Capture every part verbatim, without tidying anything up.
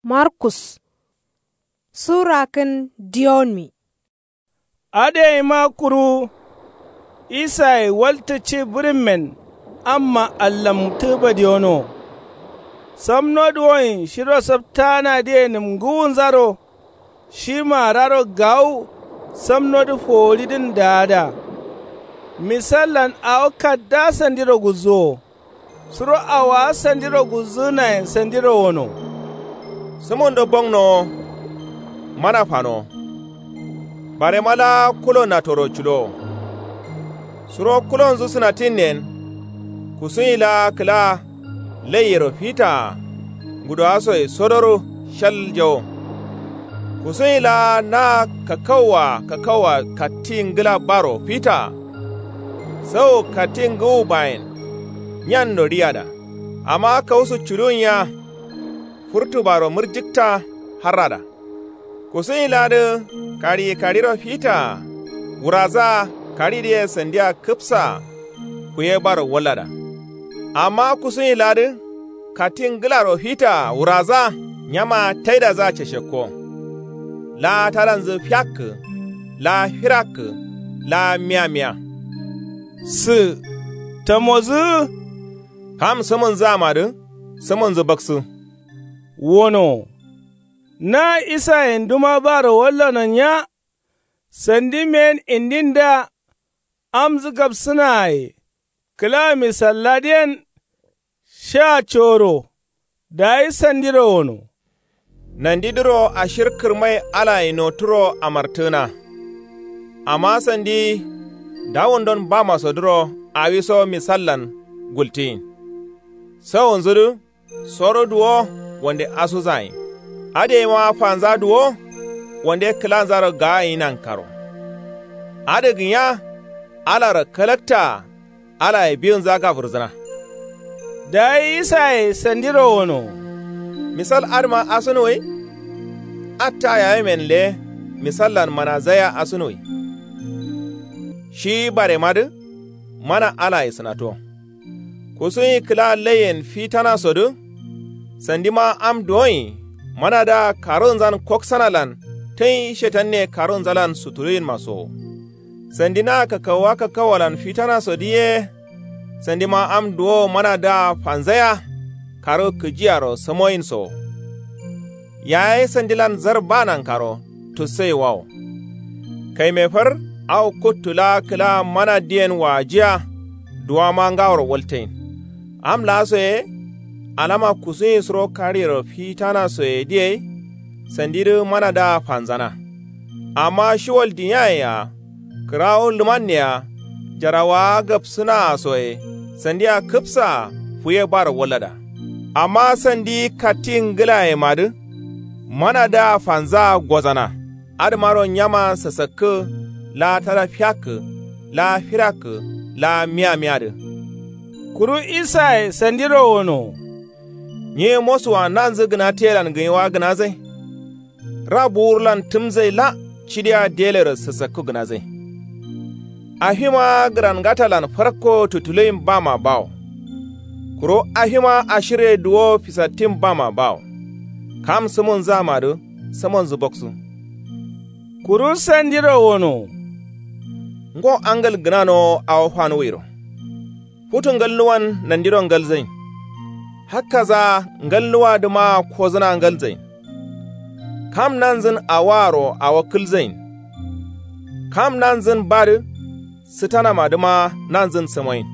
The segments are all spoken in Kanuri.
Markus. Sura kǝn diyonmi. Adǝ yeima kuru isaye waltǝ ci bǝrǝmmen amma allamtǝ badiyono. Samnodǝ woyin shiro saptanadǝye nǝmgǝwunzaro. Shi maararo gawu samnodǝ foworidǝn daada. Misallan awo kadda sandiro gulzuwo. Suro awowa sandiro gulzǝgǝnayen sandiro wono. Sǝmundo bongnowo. Mana fanowo. Barema laa kulo natoro culowo. Suro kulonzǝ sǝnatinnen. Kusuyi laa kǝla laiyero fitaa. Ngudowasoye sodoro shaljawo. Kusuyi laa na kakauwa kakauwa katti ngǝla baro fitaa. Sau katti ngǝwu bayen. Nyanno riyada. Amma kausu culuwunya. Furtubaro mǝrjǝkta harrada. Kusuyi laadǝ kariyi kariro fitaa. Wurazaa karidǝye sandiya kǝpsaa. Kuye baro wallada. Amma kusuyi laadǝ katti ngǝlaro fitaa wuraza. Nyama taidazaa ceshekko. Laa tadanzǝ fiakkǝ. Laa firakkǝ. Laa miyamiya. Sǝ tamozǝ. Kam sǝmǝnzǝamadǝ sǝmǝnzǝ baksǝ. Wono. Na isayenduma baro wallono nya. Sandi men indindǝa. Amzǝ gabsǝnaaye. Kǝla misalladǝyen. Sha coro. Dayi sandiro wono. Nandidǝro ashir kǝrmai alaye noturo amartǝgǝna. Amma sandi dawundon bamasodǝro awiso misallan gultiyin. Sawunzudǝ soro duwo wande asuzayin. Adǝ yeima fanza duwo wande kǝlanzaro gaayin nankaro. Adǝ gǝnya alaro kalaktaa. Alaye biyinza gafurzǝna. Dayi isaye sandiro wono. Misal adǝma asunuwai. Atta yayemen le misallan manazaiya asunuwai. Shi baremadǝ mana alaye sǝnato. Kusuyi kǝla laiyen fitanasodǝ. Sandima am duwoyi manadǝa karunzan koksanalan tǝnyi shetanne karunzalan sutuluyinmasowo. Sandi na kakauwa kakauwalan fitanasodǝ ye. Sandima am duwowo manadǝa fanzaiya. Karu kǝjiyaro samoyinsowo. Yaye sandilan zar ba nankaro tussaiwawo. Kaime far awo kuttu laa kǝla manadǝyen waajiya. Duwama ngaworo waltain. Am laasoye. Alama kusuyi suro kariyero fitanasoyedǝ yai. Sandidǝ manadǝa fanzana. Amma shiwal diyayea. Kǝrawo lǝmanne-a. Jarawaa gabsǝnaa soye. Sandia kǝpsaa fuye baro wallada. Amma sandi katti ngǝlayemadǝ. Manadǝa fanzaa gozana. Adǝmaro nyama sasakkǝ. Laa tada fiyakkǝ. Laa firakkǝ. Laa miyamiyadǝ. Kuru isaye sandiro wono. Nyi mosuwa nanzǝ gǝna teyelan gǝnyewa gǝnazai. Ra buwurlan tǝmzai la cidiya delero sasakku gǝnazai. Afima gǝrangatalan farko tutuluyin bama bawo. Kuru afima ashirye duwo fisattin bama bawo. Kam sǝmunzǝamadǝ sǝmunzǝ boksu. Kuru sandiro wono. Ngo angal gǝnanowo awo fanuwiro. Futu ngalnuwan nandiro ngalzain. Hakkaza ngalnuwadǝmaa kozǝna ngalzain. Kam nanzǝn awoaro awo kǝlzain. Kam nanzǝn badǝ sǝtanamadǝma nanzǝn sǝmoin.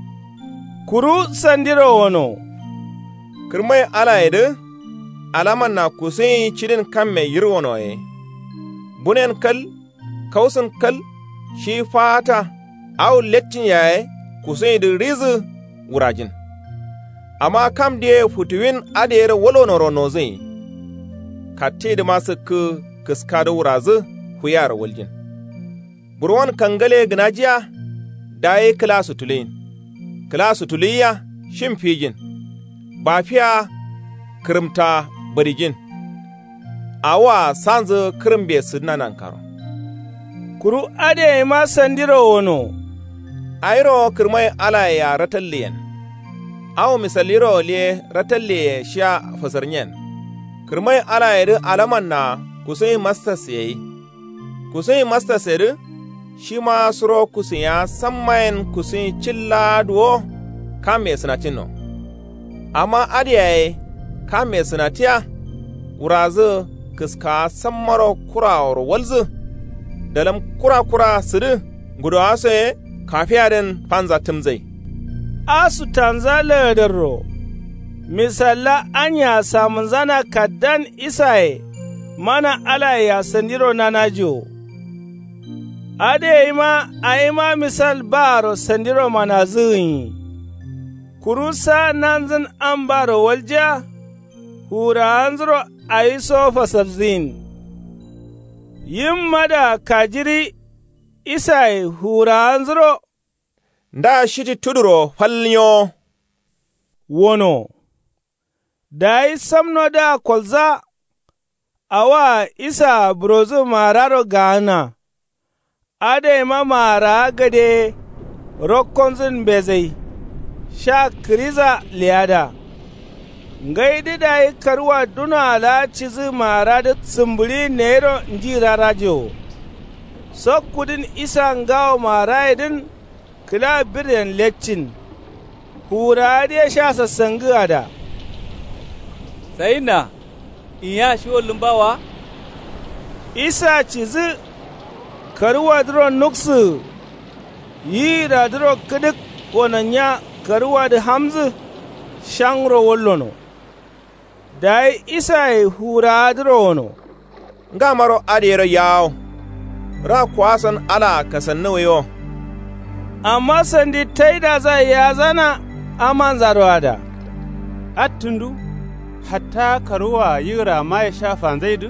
Kuru sandiro wono. Kǝrmai alayedǝ alamanna kusuyin cidin kamme yirwonoye. Bunen kal. Kausǝn kal shi faata. Awo lettin yaye kusuyindǝ rizǝ wurajin. Amma kam diye futuwin adǝ yero walwonoro nozǝnyi. Kattidǝma sǝkkǝ kǝskadǝ wurazǝ fuyearo waljin. Burwon kangale gǝnajiya. Dayi kǝla sutuluyin. Kǝla sutuluyiya shin fijin. Bafiya kǝrǝmta badijin. Awoa sanzǝ kǝrǝmbe sǝdǝna nankaro. Kuru adǝ yaima sandiro wono. Awiro kǝrmai alayea ratalliyen. Awo misalliro liye ratalliyeye shia fasarnyen. Kǝrmai alayedǝ alamanna kusuyin mastas yai. Kusuyin mastasedǝ shima suro kusuyiya sammayen kusuyin cillaa duwo. Kamme sǝnatinno. Amma adǝ yaye kamme sǝnatiya. Wurazǝ kǝskawa sammaro kuraworo walzǝ. Dalǝm kura kura sǝdǝ. Ngudowaso ye kafiyadǝn fanza tǝmzai. Asutanza lagadarro. Misalla anya samǝnzana kaddan isaye. Mana alayea sandiro nanajiwo. Adǝ yaima awima misal baaro sandiro manazǝ gǝnyi. Kuru sa nanzǝn ambaro waljiya. Fuwurawanzuro awiso fasalzǝyin. Yim mada kajiri. Isaye fuwurawanzuro. Nda shiti tuduro fal nyowo. Wono. Dayi samnodǝa kolza. Awaa isaa burozǝ maararo gaana. Adǝ yaima maarawa gade. Rokkonzǝn mbezai. Sha kǝriza leyada. Ngaidǝ dayi karuwa dunoa laa cidǝ maaradǝ sǝmbǝɍiyin neyiro nji rarajewo. Sokkudǝn isa ngawo maarayedǝn. Kǝla birden leccin. Fuwurawadǝ ye sha sassangǝada. Sayinna. Inya shiwo lǝmba wa. Isa cidǝ. Karuwadǝro nuksǝgǝ. Yiyiradǝro kǝdǝk gonannya karuwadǝ hamzǝ. Shangro wallono. Dayi isaye fuwurawadǝro wono. Ngamaro adǝ yero yawo. Ra kuwason alaa kasannuwwi wo. Amma sandi taidazai yazana amanzaroada. Attǝndu. Hatta karuwaa yigǝra maye sha fanzaidǝ.